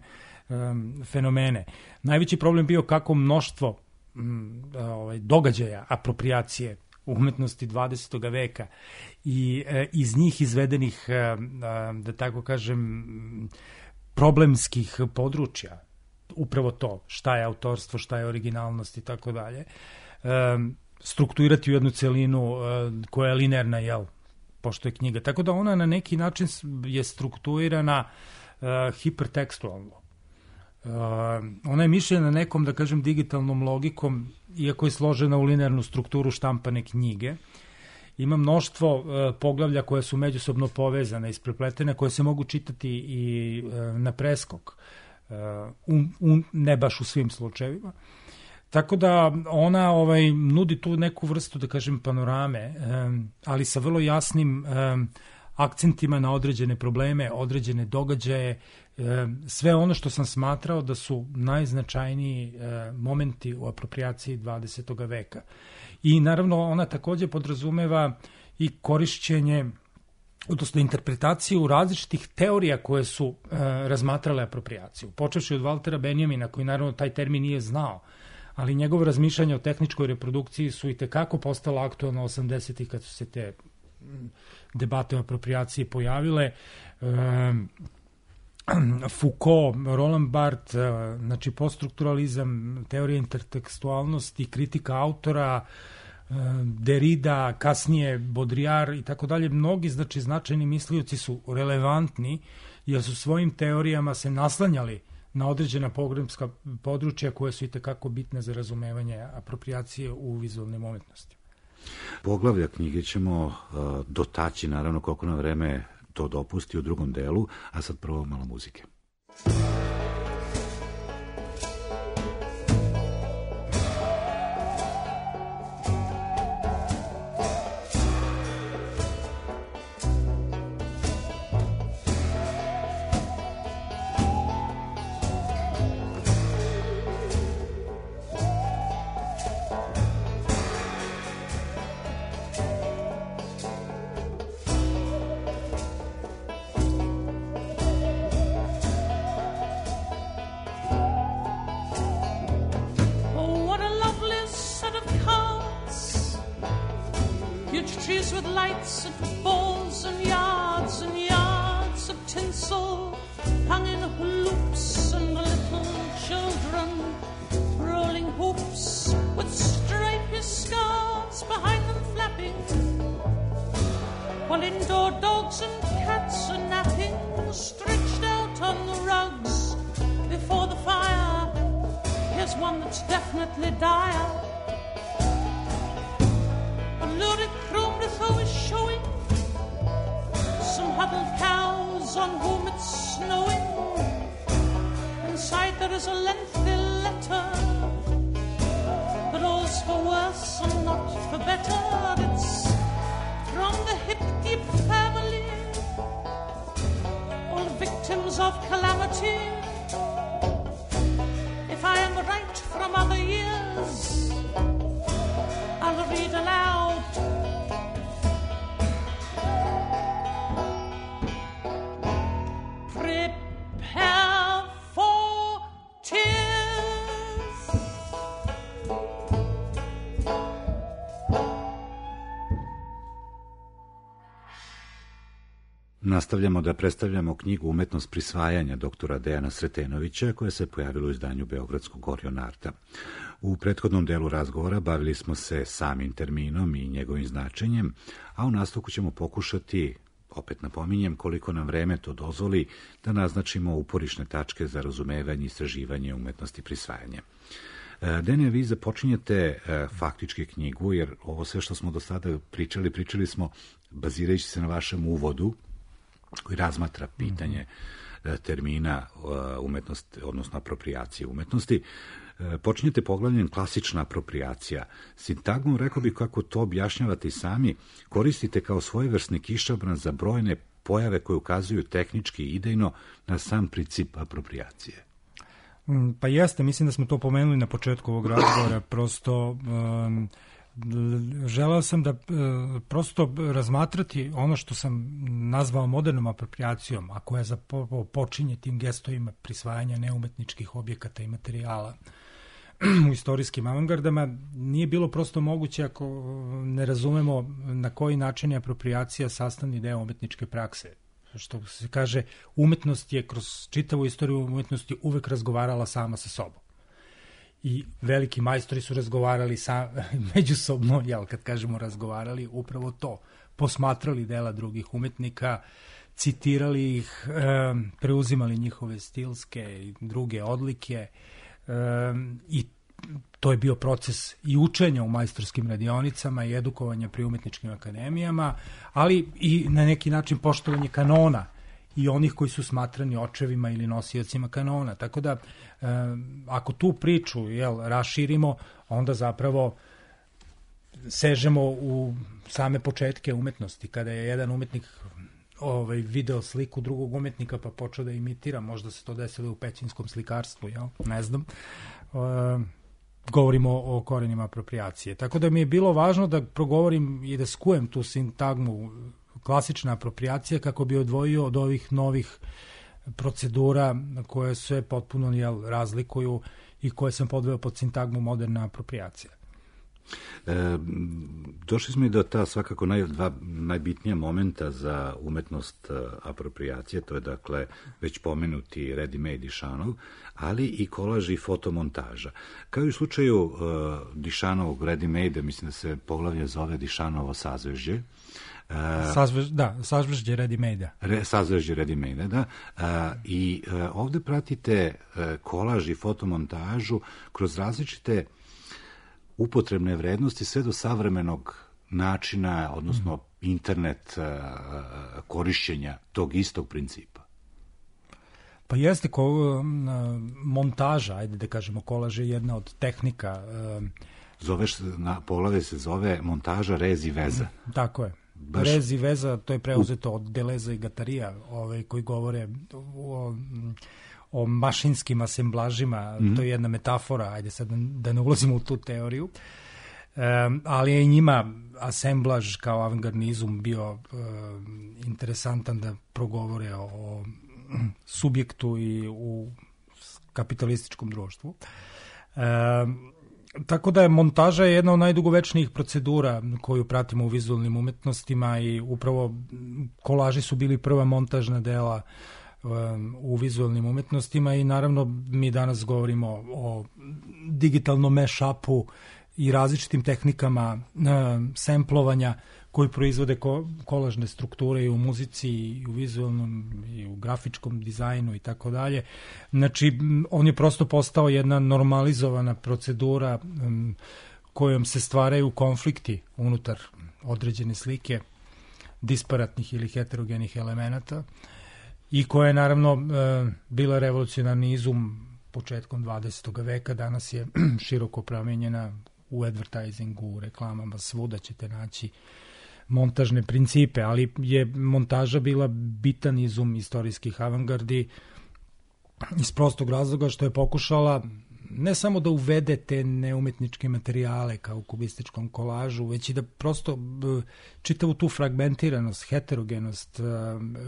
um, fenomene. Najveći problem bio kako mnoštvo m, ovaj, događaja, apropriacije umetnosti dvadesetog veka i e, iz njih izvedenih, e, e, da tako kažem, problemskih područja, upravo to, šta je autorstvo, šta je originalnost i tako dalje, strukturirati u jednu celinu koja je linearna, jel, pošto je knjiga. Tako da ona na neki način je strukturirana uh, hipertekstualno. Uh, ona je mišljena nekom, da kažem, digitalnom logikom, iako je složena u linearnu strukturu štampane knjige. Ima mnoštvo uh, poglavlja koje su međusobno povezane, isprepletene, koje se mogu čitati i uh, na preskok, uh, u, u, ne baš u svim slučajevima. Tako da ona ovaj, nudi tu neku vrstu, da kažem, panorame, um, ali sa vrlo jasnim um, akcentima na određene probleme, određene događaje, um, sve ono što sam smatrao da su najznačajniji um, momenti u aproprijaciji dvadesetog veka. I naravno ona takođe podrazumeva i korišćenje, odnosno interpretaciju različitih teorija koje su uh, razmatrale aproprijaciju. Počevši od Valtera Benjamina, koji naravno taj termin nije znao, ali njegovo razmišljanje o tehničkoj reprodukciji su i tekako postala aktualno osamdesetih kad su se te debate o aproprijaciji pojavile. Foucault, Roland Barthes, znači poststrukturalizam, teorija intertekstualnosti, kritika autora, Derrida, kasnije Baudrillard i tako dalje. Mnogi, znači, značajni mislioci su relevantni jer su svojim teorijama se naslanjali na određena pogrebska područja koje su i tekako bitne za razumevanje aproprijacije u vizualnim umetnosti. Poglavlja knjige ćemo uh, dotaći, naravno, koliko na vreme to dopusti u drugom delu, a sad prvo malo muzike. Nastavljamo da predstavljamo knjigu Umetnost prisvajanja doktora Dejana Sretenovića, koja se pojavila u izdanju Beogradskog Orionarta. U prethodnom delu razgovora bavili smo se samim terminom i njegovim značenjem, a u nastavku ćemo pokušati, opet napominjem, koliko nam vreme to dozvoli, da naznačimo uporišne tačke za razumevanje i istraživanje umetnosti prisvajanja. Dene, vi započinjete faktički knjigu, jer ovo sve što smo do sada pričali, pričali smo bazirajući se na vašem uvodu, koji razmatra pitanje termina umetnosti, odnosno aproprijacije umetnosti. Počinjete poglavljem klasična apropriacija. Sintagmom, rekao bih kako to objašnjavate i sami, koristite kao svojevrsni kišobran za brojne pojave koje ukazuju tehnički i idejno na sam princip apropriacije. Pa jeste, mislim da smo to pomenuli na početku ovog razgovora, prosto um, želeo sam da uh, prosto razmatrati ono što sam nazvao modernom apropriacijom, a koja zapo, počinje tim gestovima prisvajanja neumetničkih objekata i materijala u istorijskim avangardama. Nije bilo prosto moguće ako ne razumemo na koji način je apropriacija sastavni deo umetničke prakse. Što se kaže, umetnost je kroz čitavu istoriju umetnosti uvek razgovarala sama sa sobom. I veliki majstori su razgovarali sa, međusobno, jel, kad kažemo razgovarali, upravo to. Posmatrali dela drugih umetnika, citirali ih, e, preuzimali njihove stilske i druge odlike e, i to je bio proces i učenja u majstorskim radionicama i edukovanja pri umetničkim akademijama, ali i na neki način poštovanje kanona i onih koji su smatrani očevima ili nosiocima kanona. Tako da, e, ako tu priču jel, raširimo, onda zapravo sežemo u same početke umetnosti, kada je jedan umetnik ovaj, video sliku drugog umetnika pa počeo da imitira, možda se to desilo u pećinskom slikarstvu, jel? Ne znam. E, govorimo o korenima apropriacije. Tako da mi je bilo važno da progovorim i da skujem tu sintagmu klasična apropriacija kako bi odvojio od ovih novih procedura koje se potpuno jel, razlikuju i koje sam podveo pod sintagmu moderna apropriacija. E, došli smo i do ta svakako naj, dva najbitnija momenta za umetnost apropriacije, to je dakle već pomenuti ready-made Dišanov, ali i kolaž i fotomontaža. Kao i u slučaju uh, Dišanovog ready-made, mislim da se poglavlje zove Dišanovo sazvežđe. Uh, Sazvež, da, sazvežđe ready-made-a. Re, sazvežđe ready-made-a, da. Uh, I uh, ovde pratite uh, kolaž i fotomontažu kroz različite upotrebne vrednosti sve do savremenog načina, odnosno mm. internet uh, korišćenja tog istog principa. Pa jeste ko, uh, montaža, ajde da kažemo, kolaž je jedna od tehnika. Uh, Zoveš, na poglavlje se zove montaža rez i veza. Tako je. Baš... Rez i veza, to je preuzeto od Deleza i Gatarija, ovaj, koji govore o, o mašinskim asemblažima, mm-hmm. to je jedna metafora, ajde sad da ne ulazimo u tu teoriju, um, ali je i njima asemblaž kao avangardnizum bio um, interesantan da progovore o, o subjektu i u kapitalističkom društvu. Um, Tako da je montaža jedna od najdugovečnijih procedura koju pratimo u vizualnim umetnostima i upravo kolaži su bili prva montažna dela um, u vizualnim umetnostima i naravno mi danas govorimo o digitalnom mashupu i različitim tehnikama um, semplovanja koji proizvode ko, kolažne strukture i u muzici i u vizualnom i u grafičkom dizajnu i tako dalje. Znači, on je prosto postao jedna normalizovana procedura um, kojom se stvaraju konflikti unutar određene slike disparatnih ili heterogenih elemenata i koja je naravno uh, bila revolucionarni izum početkom dvadesetog veka. Danas je široko promenjena u advertisingu, u reklamama, svuda ćete naći montažne principe, ali je montaža bila bitan izum istorijskih avangardi iz prostog razloga što je pokušala ne samo da uvede te neumetničke materijale kao u kubističkom kolažu, već i da prosto čitavu tu fragmentiranost, heterogenost,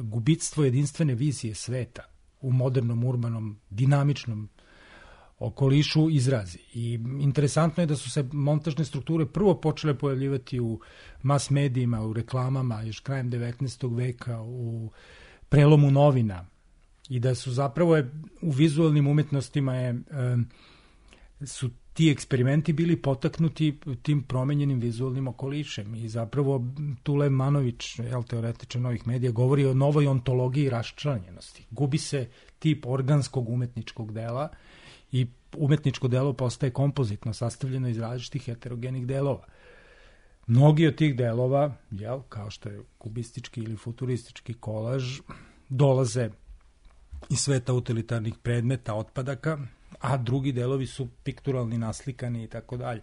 gubitstvo jedinstvene vizije sveta u modernom, urbanom, dinamičnom okolišu izrazi. I interesantno je da su se montažne strukture prvo počele pojavljivati u mas medijima, u reklamama, još krajem devetnaestog veka, u prelomu novina i da su zapravo je, u vizualnim umetnostima je, e, su ti eksperimenti bili potaknuti tim promenjenim vizualnim okolišem i zapravo Tule Manović, jel, teoretičar novih medija, govori o novoj ontologiji raščlanjenosti. Gubi se tip organskog umetničkog dela i umetničko delo postaje kompozitno, sastavljeno iz različitih heterogenih delova. Mnogi od tih delova, jel, kao što je kubistički ili futuristički kolaž, dolaze iz sveta utilitarnih predmeta, otpadaka, a drugi delovi su pikturalni, naslikani i tako dalje.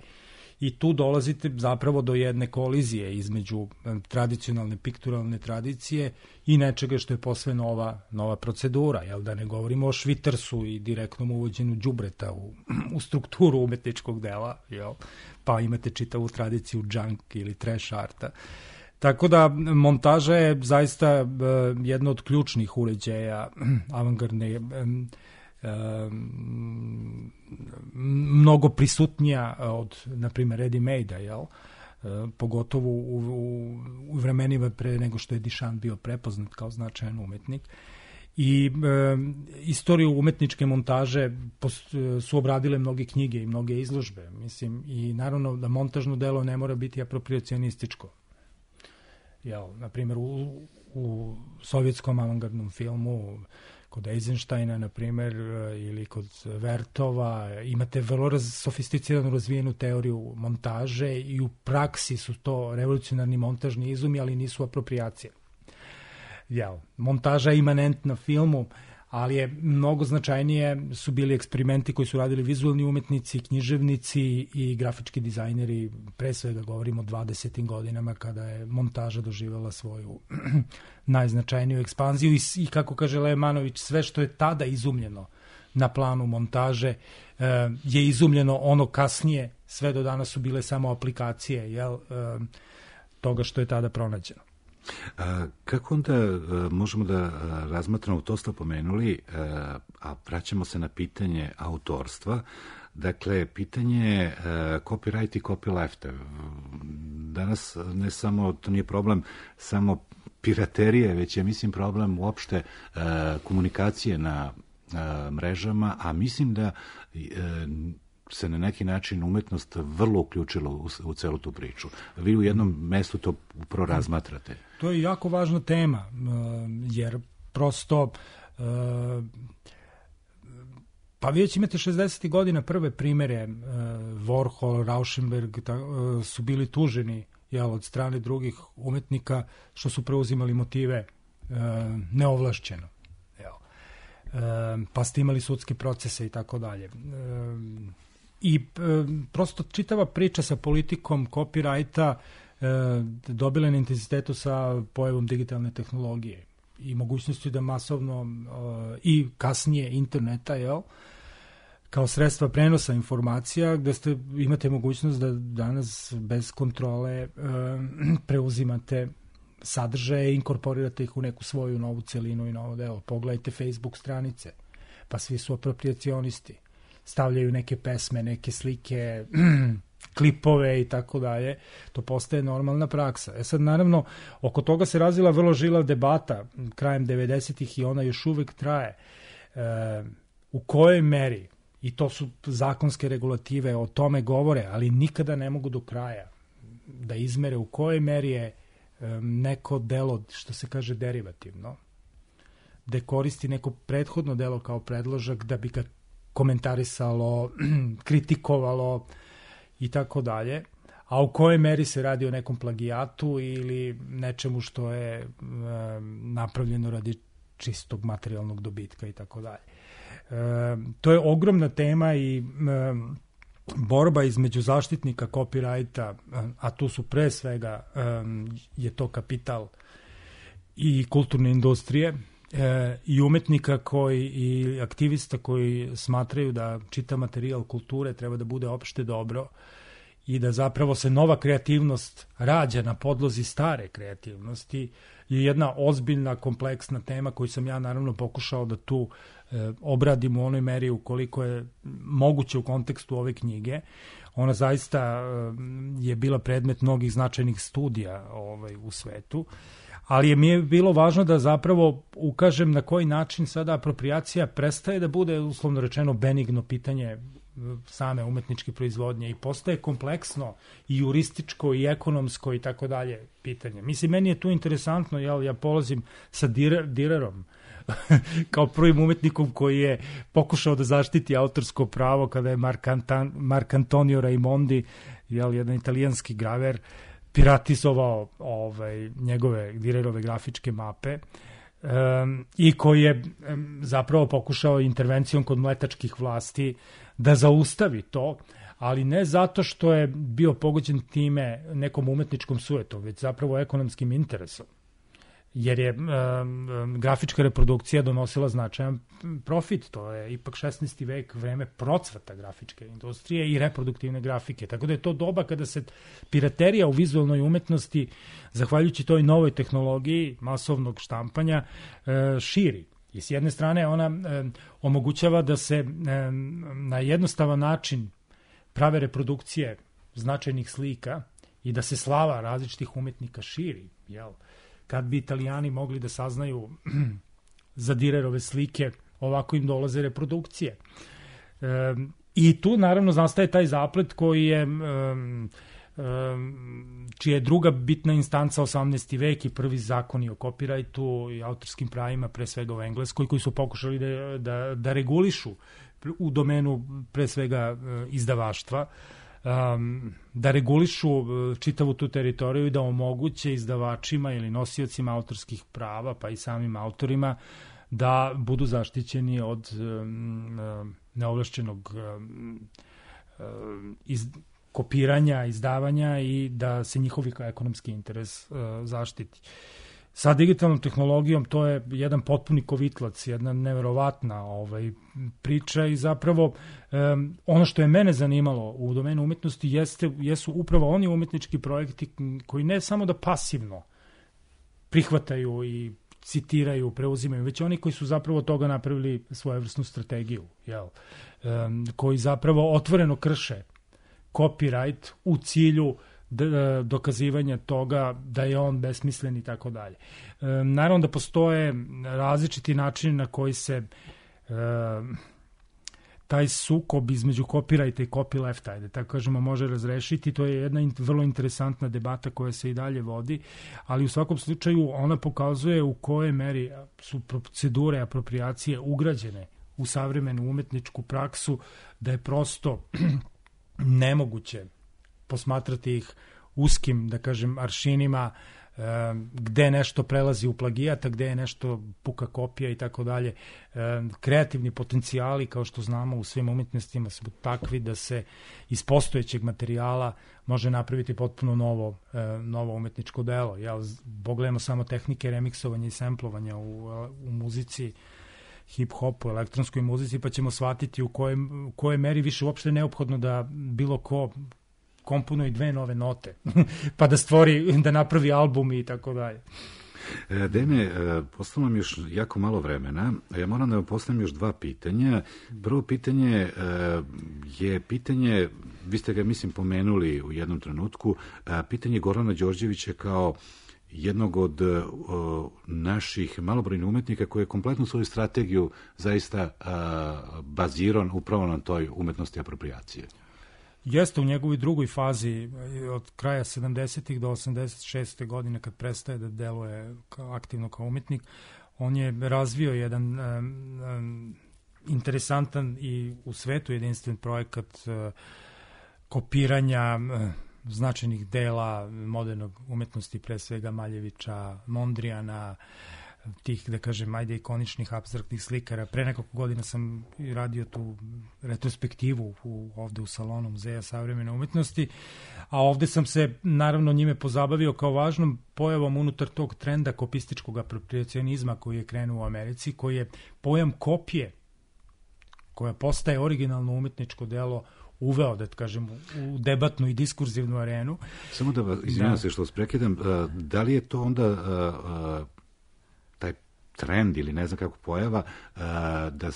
I tu dolazite zapravo do jedne kolizije između tradicionalne pikturalne tradicije i nečega što je posve nova, nova procedura, jel, da ne govorimo o švitersu i direktnom uvođenju đubreta u, u strukturu umetničkog dela, jel, pa imate čitavu tradiciju junk ili trash arta. Tako da montaža je zaista uh, jedno od ključnih uređaja avangardne, um, um, mnogo prisutnija od, na primjer, ready-made-a, jel? Uh, pogotovo u, u, u vremenima pre nego što je Duchamp bio prepoznat kao značajan umetnik. I e, istoriju umetničke montaže post, su obradile mnoge knjige i mnoge izložbe. Mislim, i naravno da montažno delo ne mora biti apropriacionističko. Jel, na primjer, u, u sovjetskom avangardnom filmu, kod Eisensteina, na primjer, ili kod Vertova, imate vrlo raz, sofisticiranu razvijenu teoriju montaže i u praksi su to revolucionarni montažni izumi, ali nisu apropriacije. Jel, montaža je imanentna filmu, ali je mnogo značajnije su bili eksperimenti koji su radili vizualni umetnici, književnici i grafički dizajneri, pre svega govorimo o dvadesetim godinama kada je montaža doživjela svoju najznačajniju ekspanziju i, i kako kaže Lejmanović, sve što je tada izumljeno na planu montaže eh, je izumljeno ono kasnije, sve do danas su bile samo aplikacije, jel, eh, toga što je tada pronađeno. A, kako onda a, možemo da a, razmatramo, to ste pomenuli, a, a vraćamo se na pitanje autorstva, dakle, pitanje a, copyright i copyleft. Danas ne samo, to nije problem samo piraterije, već je, mislim, problem uopšte a, komunikacije na a, mrežama, a mislim da a, se na neki način umetnost vrlo uključila u, u celu tu priču. Vi u jednom mestu to upravo razmatrate. To je jako važna tema, jer prosto pa vi već imate šezdesetih godina prve primere, Warhol, Rauschenberg su bili tuženi, jel, od strane drugih umetnika što su preuzimali motive neovlašćeno. Jel. Pa ste imali sudske procese i tako dalje. I e, prosto čitava priča sa politikom copyrighta e, dobila na intenzitetu sa pojavom digitalne tehnologije i mogućnosti da masovno e, i kasnije interneta, jel, kao sredstva prenosa informacija, gde ste, imate mogućnost da danas bez kontrole e, preuzimate sadržaje i inkorporirate ih u neku svoju novu celinu i novo delo. Pogledajte Facebook stranice, pa svi su apropriacionisti. Stavljaju neke pesme, neke slike, klipove i tako dalje. To postaje normalna praksa. E sad, naravno, oko toga se razvila vrlo žilav debata krajem devedesetih i ona još uvek traje. E, u kojoj meri, i to su zakonske regulative, o tome govore, ali nikada ne mogu do kraja da izmere u kojoj meri je e, neko delo, što se kaže, derivativno, da koristi neko prethodno delo kao predložak da bi ga komentarisalo, kritikovalo i tako dalje, a u kojoj meri se radi o nekom plagijatu ili nečemu što je e, napravljeno radi čistog materijalnog dobitka i tako dalje. E, to je ogromna tema i e, borba između zaštitnika copyrighta, a tu su pre svega e, je to kapital i kulturne industrije, E, i umetnika koji i aktivista koji smatraju da čitav materijal kulture treba da bude opšte dobro i da zapravo se nova kreativnost rađa na podlozi stare kreativnosti, je jedna ozbiljna, kompleksna tema koju sam ja naravno pokušao da tu e, obradim u onoj meri ukoliko je moguće u kontekstu ove knjige. Ona zaista e, je bila predmet mnogih značajnih studija ovaj, u svetu. Ali je mi je bilo važno da zapravo ukažem na koji način sada apropriacija prestaje da bude, uslovno rečeno, benigno pitanje same umetničke proizvodnje i postaje kompleksno i jurističko i ekonomsko i tako dalje pitanje. Mislim, meni je tu interesantno, jel, ja polazim sa Direr, Direrom kao prvim umetnikom koji je pokušao da zaštiti autorsko pravo kada je Mark, Antan, Mark Antonio Raimondi, jel, jedan italijanski graver, piratizovao ovaj, njegove Direrove grafičke mape. E, um, i koji je um, zapravo pokušao intervencijom kod mletačkih vlasti da zaustavi to, ali ne zato što je bio pogođen time nekom umetničkom sujetom, već zapravo ekonomskim interesom. Jer je um, grafička reprodukcija donosila značajan profit. To je ipak šesnaesti vek, vreme procvata grafičke industrije i reproduktivne grafike. Tako da je to doba kada se piraterija u vizualnoj umetnosti, zahvaljujući toj novoj tehnologiji masovnog štampanja, uh, širi. I s jedne strane ona um, omogućava da se um, na jednostavan način prave reprodukcije značajnih slika i da se slava različitih umetnika širi, jel? Kad bi Italijani mogli da saznaju za Dürerove slike, ovako im dolaze reprodukcije. E, I tu naravno nastaje taj zaplet koji je, um, um, čija je druga bitna instanca osamnaesti vek i prvi zakoni o kopirajtu i autorskim pravima, pre svega u Engleskoj, koji su pokušali da, da, da regulišu u domenu pre svega izdavaštva, Um, da regulišu čitavu tu teritoriju i da omoguće izdavačima ili nosiocima autorskih prava, pa i samim autorima, da budu zaštićeni od um, neovlašćenog um, iz, kopiranja, izdavanja i da se njihovi ekonomski interes uh, zaštiti. Sa digitalnom tehnologijom to je jedan potpuni kovitlac, jedna neverovatna ovaj, priča i zapravo um, ono što je mene zanimalo u domenu umetnosti jeste, jesu upravo oni umetnički projekti koji ne samo da pasivno prihvataju i citiraju, preuzimaju, već oni koji su zapravo toga napravili svojevrsnu strategiju, jel? Um, koji zapravo otvoreno krše copyright u cilju dokazivanja toga da je on besmislen i tako dalje. Naravno da postoje različiti načini na koji se e, taj sukob između copyrighta i copylefta, ajde tako kažemo, može razrešiti. To je jedna in, vrlo interesantna debata koja se i dalje vodi, ali u svakom slučaju ona pokazuje u kojoj meri su procedure apropriacije ugrađene u savremenu umetničku praksu, da je prosto nemoguće posmatrati ih uskim, da kažem, aršinima, e, gde nešto prelazi u plagijata, gde je nešto puka kopija i tako dalje. Kreativni potencijali, kao što znamo, u svim umetnostima su takvi da se iz postojećeg materijala može napraviti potpuno novo, e, novo umetničko delo. Ja, pogledamo samo tehnike remiksovanja i semplovanja u, u muzici, hip-hopu, elektronskoj muzici, pa ćemo shvatiti u kojoj, u kojoj meri više uopšte neophodno da bilo ko komponuje dve nove note, pa da stvori, da napravi album i tako dalje. Dene, postavljam još jako malo vremena, a ja moram da vam postavim još dva pitanja. Prvo pitanje je pitanje, vi ste ga mislim pomenuli u jednom trenutku, pitanje Gorana Đorđevića kao jednog od o, naših malobrojnih umetnika koji je kompletnu svoju strategiju zaista a, baziran upravo na toj umetnosti apropriacije. Jeste u njegovoj drugoj fazi od kraja sedamdesetih do osamdeset šeste godine kad prestaje da deluje kao, aktivno kao umetnik, on je razvio jedan um, um, interesantan i u svetu jedinstven projekat uh, kopiranja uh, značajnih dela modernog umetnosti, pre svega Maljevića, Mondrijana, tih, da kažem, ajde ikoničnih apstraktnih slikara. Pre nekoliko godina sam radio tu retrospektivu u, ovde u salonu Muzeja savremene umetnosti, a ovde sam se naravno njime pozabavio kao važnom pojavom unutar tog trenda kopističkog apropriacionizma koji je krenuo u Americi, koji je pojam kopije, koja postaje originalno umetničko delo, uveo, da kažem, u debatnu i diskurzivnu arenu. Samo da vas, izvinjam da. se što vas prekidam, da li je to onda taj trend ili ne znam kako pojava da,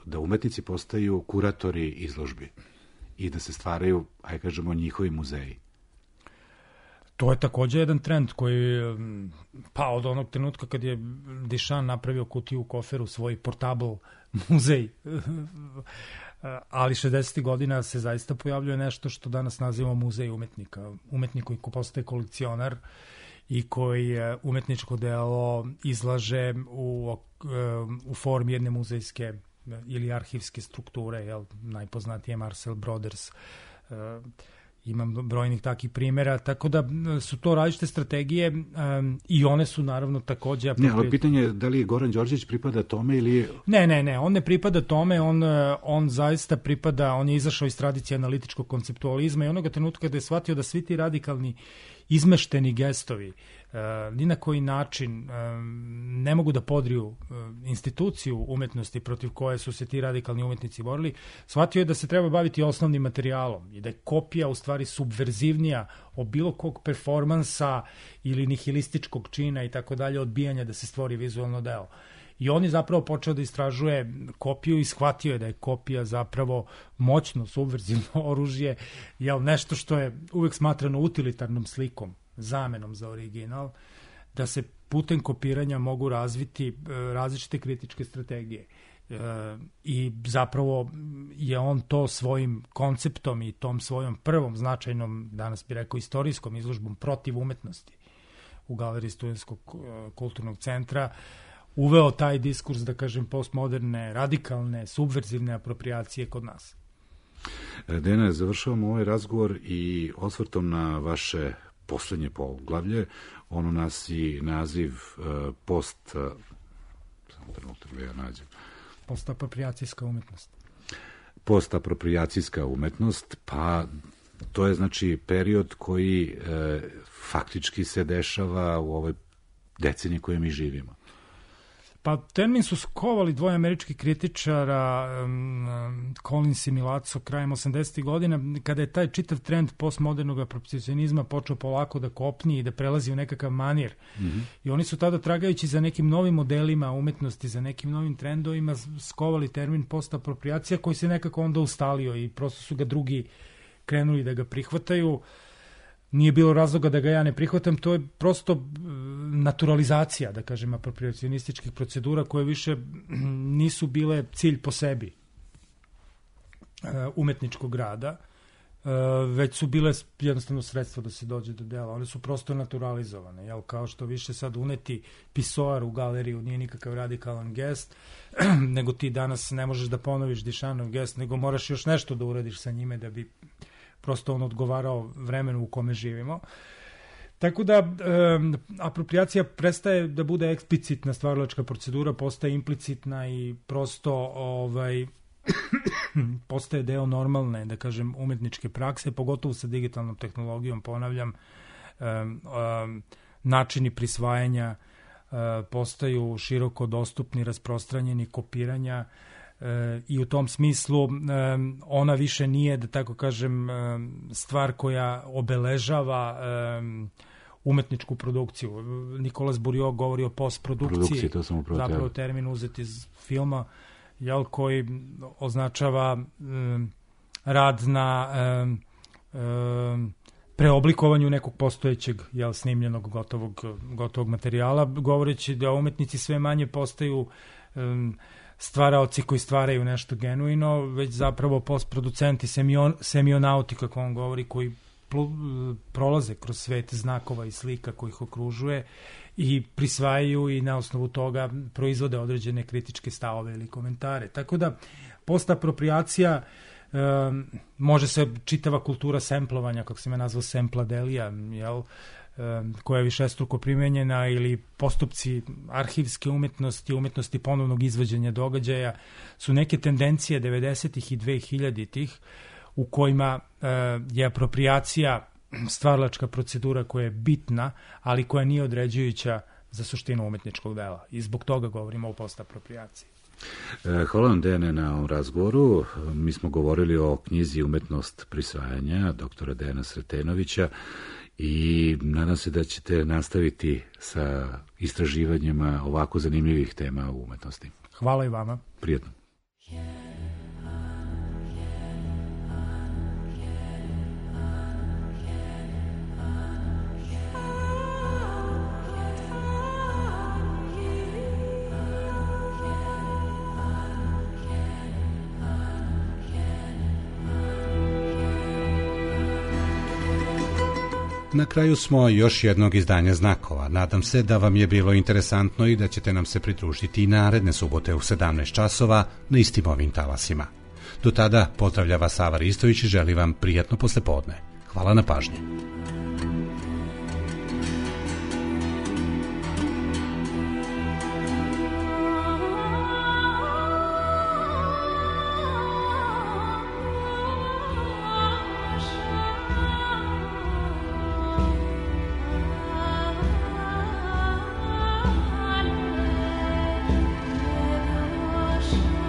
da umetnici postaju kuratori izložbi i da se stvaraju, ajde kažemo, njihovi muzeji? To je takođe jedan trend koji, pa od onog trenutka kad je Duchamp napravio kutiju u koferu, svoj portable muzej, ali šezdesetih godina se zaista pojavljuje nešto što danas nazivamo muzej umetnika. Umetnik koji postaje kolekcionar i koji umetničko delo izlaže u, u formi jedne muzejske ili arhivske strukture, jel, najpoznatije Marcel Broders. Imam brojnih takih primjera, tako da su to različite strategije um, i one su naravno takođe... Ne, ali pitanje je da li Goran Đorđević pripada tome ili... Ne, ne, ne, on ne pripada tome, on, on zaista pripada, on je izašao iz tradicije analitičkog konceptualizma i onoga trenutka kada je shvatio da svi ti radikalni izmešteni gestovi uh, ni na koji način uh, ne mogu da podriju uh, instituciju umetnosti protiv koje su se ti radikalni umetnici borili, shvatio je da se treba baviti osnovnim materijalom i da je kopija u stvari subverzivnija od bilo kog performansa ili nihilističkog čina i tako dalje, odbijanja da se stvori vizualno delo. I on je zapravo počeo da istražuje kopiju i shvatio je da je kopija zapravo moćno subverzivno oružje, jel, nešto što je uvek smatrano utilitarnom slikom, zamenom za original, da se putem kopiranja mogu razviti različite kritičke strategije. E, I zapravo je on to svojim konceptom i tom svojom prvom značajnom, danas bi rekao istorijskom izložbom protiv umetnosti u Galeriji Studentskog kulturnog centra uveo taj diskurs, da kažem, postmoderne, radikalne, subverzivne apropriacije kod nas. Dejana, završavamo ovaj razgovor i osvrtom na vaše poslednje poglavlje. Ono nosi naziv uh, post... Uh, samo trenutak da ja nađem. Postapropriacijska umetnost. Postapropriacijska umetnost, pa to je znači period koji uh, faktički se dešava u ovoj deceniji koje mi živimo. Pa termin su skovali dvoje američkih kritičara, um, Collins i Milazzo, krajem osamdesetih godina, kada je taj čitav trend postmodernog apropriacionizma počeo polako da kopni i da prelazi u nekakav manir. Mm-hmm. I oni su tada, tragajući za nekim novim modelima umetnosti, za nekim novim trendovima, skovali termin postapropriacija koji se nekako onda ustalio i prosto su ga drugi krenuli da ga prihvataju. Nije bilo razloga da ga ja ne prihvatam, to je prosto naturalizacija, da kažem, apropriacionističkih procedura koje više nisu bile cilj po sebi umetničkog rada, već su bile jednostavno sredstvo da se dođe do dela. One su prosto naturalizovane, jel, kao što više sad uneti pisoar u galeriju nije nikakav radikalan gest, nego ti danas ne možeš da ponoviš Dišanov gest, nego moraš još nešto da uradiš sa njime da bi prosto on odgovarao vremenu u kome živimo. Tako da, e, apropriacija prestaje da bude eksplicitna stvaralačka procedura, postaje implicitna i prosto ovaj, postaje deo normalne, da kažem, umetničke prakse, pogotovo sa digitalnom tehnologijom, ponavljam, e, e, načini prisvajanja e, postaju široko dostupni, rasprostranjeni, kopiranja, E, i u tom smislu e, ona više nije, da tako kažem, e, stvar koja obeležava e, umetničku produkciju. Nikolas Buriot govori o postprodukciji, zapravo termin uzet iz filma, jel, koji označava e, rad na e, e, preoblikovanju nekog postojećeg, jel, snimljenog gotovog, gotovog materijala, govoreći da umetnici sve manje postaju e, stvaraoci koji stvaraju nešto genuino, već zapravo postproducenti, semion, semionauti, kako on govori, koji pl, prolaze kroz svet znakova i slika koji ih okružuje i prisvajaju i na osnovu toga proizvode određene kritičke stavove ili komentare. Tako da postapropriacija, e, može se čitava kultura semplovanja, kako se me nazvao sempladelija, jel, koja je višestruko primenjena, ili postupci arhivske umetnosti, umetnosti ponovnog izvođenja događaja, su neke tendencije devedesetih i dvehiljaditih u kojima je apropriacija stvaralačka procedura koja je bitna, ali koja nije određujuća za suštinu umetničkog dela. I zbog toga govorimo o postapropriaciji. Hvala vam, Dejane, na ovom razgovoru. Mi smo govorili o knjizi Umetnost prisvajanja doktora Dejana Sretenovića i nadam se da ćete nastaviti sa istraživanjima ovako zanimljivih tema u umetnosti. Hvala i vama. Prijetno. Na kraju smo još jednog izdanja Znakova. Nadam se da vam je bilo interesantno i da ćete nam se pridružiti i naredne subote u sedamnaest časova na istim ovim talasima. Do tada pozdravlja vas Sava Ristović i želi vam prijatno poslepodne. Hvala na pažnji. Ocean.